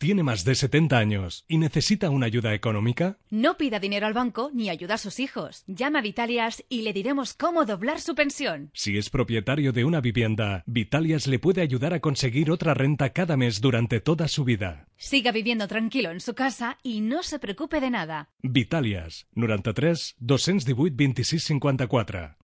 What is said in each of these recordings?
¿Tiene más de 70 años y necesita una ayuda económica? No pida dinero al banco ni ayuda a sus hijos. Llama a Vitalias y le diremos cómo doblar su pensión. Si es propietario de una vivienda, Vitalias le puede ayudar a conseguir otra renta cada mes durante toda su vida. Siga viviendo tranquilo en su casa y no se preocupe de nada. Vitalias, 93 218 26 54.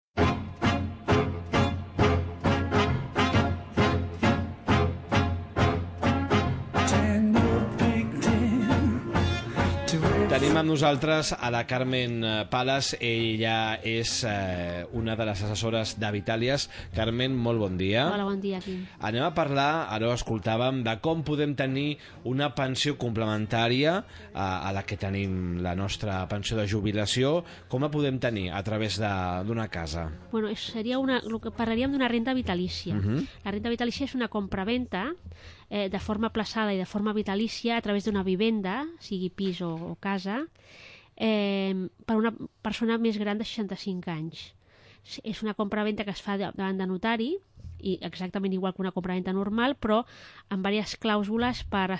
Tenim amb nosaltres a la Carmen Palas. Ella és una de les assessores de Vitalias. Carmen, molt bon dia. Hola, bon dia, Quim. Anem a parlar, ara ho escoltàvem, de com podem tenir una pensió complementària a la que tenim la nostra pensió de jubilació. Com la podem tenir a través d'una casa? Bueno, parlaríem d'una renda vitalícia. La renda vitalícia és una compraventa de forma plaçada i de forma vitalícia a través d'una vivenda, sigui pis o casa, per una persona més gran de 65 anys. És una compraventa que es fa davant de notari, i exactament igual que una compraventa normal, però amb diverses clàusules per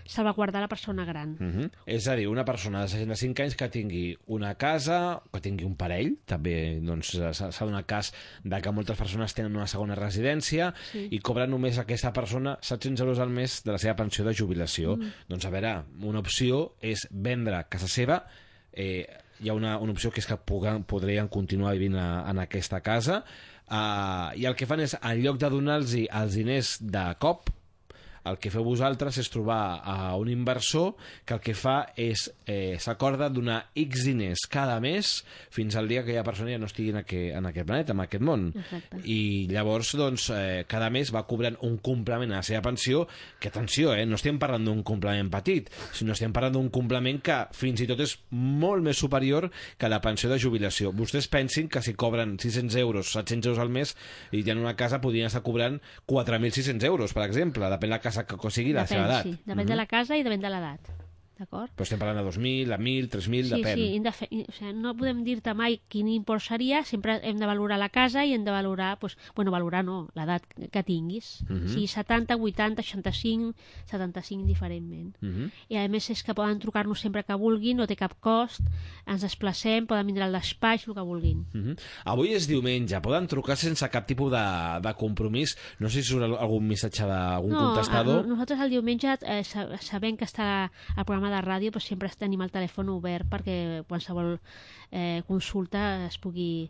salvaguardar la persona gran. És a dir, una persona de 65 anys que tingui una casa, que tingui un parell, també s'ha donat cas de que moltes persones tenen una segona residència i cobra només aquesta persona 700 euros al mes de la seva pensió de jubilació. Doncs a veure, una opció és vendre casa seva. Hi ha una opció que és que podrien continuar vivint en aquesta casa, i el que fan és, en lloc de donar-los els diners de cop, el que feu vosaltres és trobar a un inversor que el que fa és s'acorda donar X diners cada mes fins al dia que aquella persona ja no estigui en aquest planeta, en aquest món. Exacte. I llavors, doncs, cada mes va cobrant un complement a la seva pensió, que atenció, no estem parlant d'un complement petit, sinó estem parlant d'un complement que fins i tot és molt més superior que la pensió de jubilació. Vostès pensin que si cobren 600 euros, 700 euros al mes, i tenen una casa, podrien estar cobrant 4.600 euros, per exemple, depèn la casa que sigui la seva edat. Sí, depèn de la casa i depèn de l'edat. D'acord? Però estem parlant de 2.000, de 1.000, 3.000, depèn. Sí, no podem dir-te mai quin import seria, sempre hem de valorar la casa i hem de valorar, valorar no, l'edat que tinguis. Sí, 70, 80, 65, 75 diferentment. I a més és que poden trucar-nos sempre que vulguin, no té cap cost, ens desplacem, poden vindre al despatx, el que vulguin. Avui és diumenge, poden trucar sense cap tipus de compromís. No sé si surt algun missatge d'algun contestador. Nosaltres el diumenge, sabent que està el programa de ràdio, però sempre tenim el telèfon obert perquè qualsevol consulta es pugui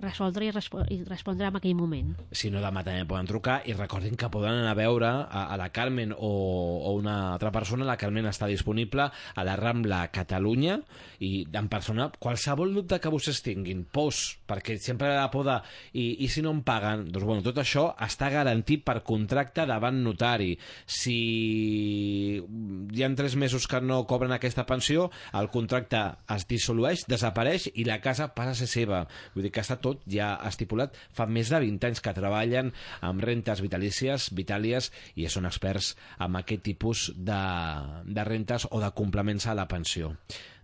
resoldre i respondre en aquell moment. Si no, demà també poden trucar, i recordin que poden anar a veure a la Carmen o una altra persona. La Carmen està disponible a la Rambla Catalunya, i en persona, qualsevol dubte que vostès tinguin, perquè sempre la por de i si no em paguen, doncs bueno, tot això està garantit per contracte davant notari. Si hi ha 3 mesos que no cobren aquesta pensió, el contracte es dissolueix, desapareix i la casa passa a ser seva. Vull dir que està tot ja estipulat. Fa més de 20 anys que treballen amb rentes vitalícies, Vitalias, i són experts en aquest tipus de rentes o de complements a la pensió.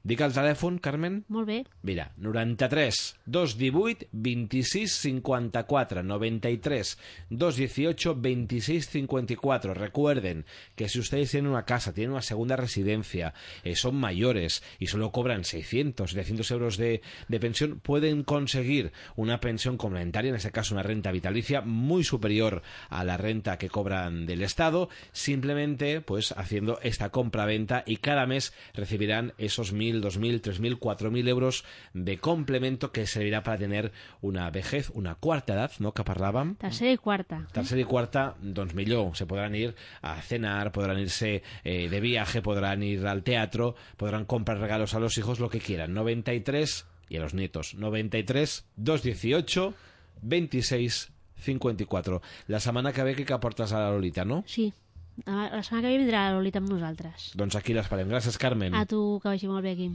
Dic el telèfon, Carmen? Molt bé. Mira, 93 218 26 54, 93 218 26 54. Recuerden que si ustedes tienen una casa, tienen una segunda residencia, son mayores y solo cobran 600, 700 euros de pensión, pueden conseguir una pensión complementaria, en este caso una renta vitalicia muy superior a la renta que cobran del Estado, simplemente pues haciendo esta compra-venta, y cada mes recibirán esos 1.000, 2.000, 3.000, 4.000 euros de complemento que servirá para tener una vejez, una cuarta edad, ¿no?, que parlàvem. Tercera i quarta. Tercera i quarta, doncs millor. Se podrán ir a cenar, podrán irse de viaje, podrán ir al teatro, podrán comprar regalos a los hijos, lo que quieran. 93, y a los nietos, 93 218 26 54. La setmana que ve que aportes a la Lolita, no? Sí. La setmana que ve vindrà la Lolita amb nosaltres. Doncs aquí l'esperem. Gràcies, Carmen. A tu, que vagi molt bé, Quim.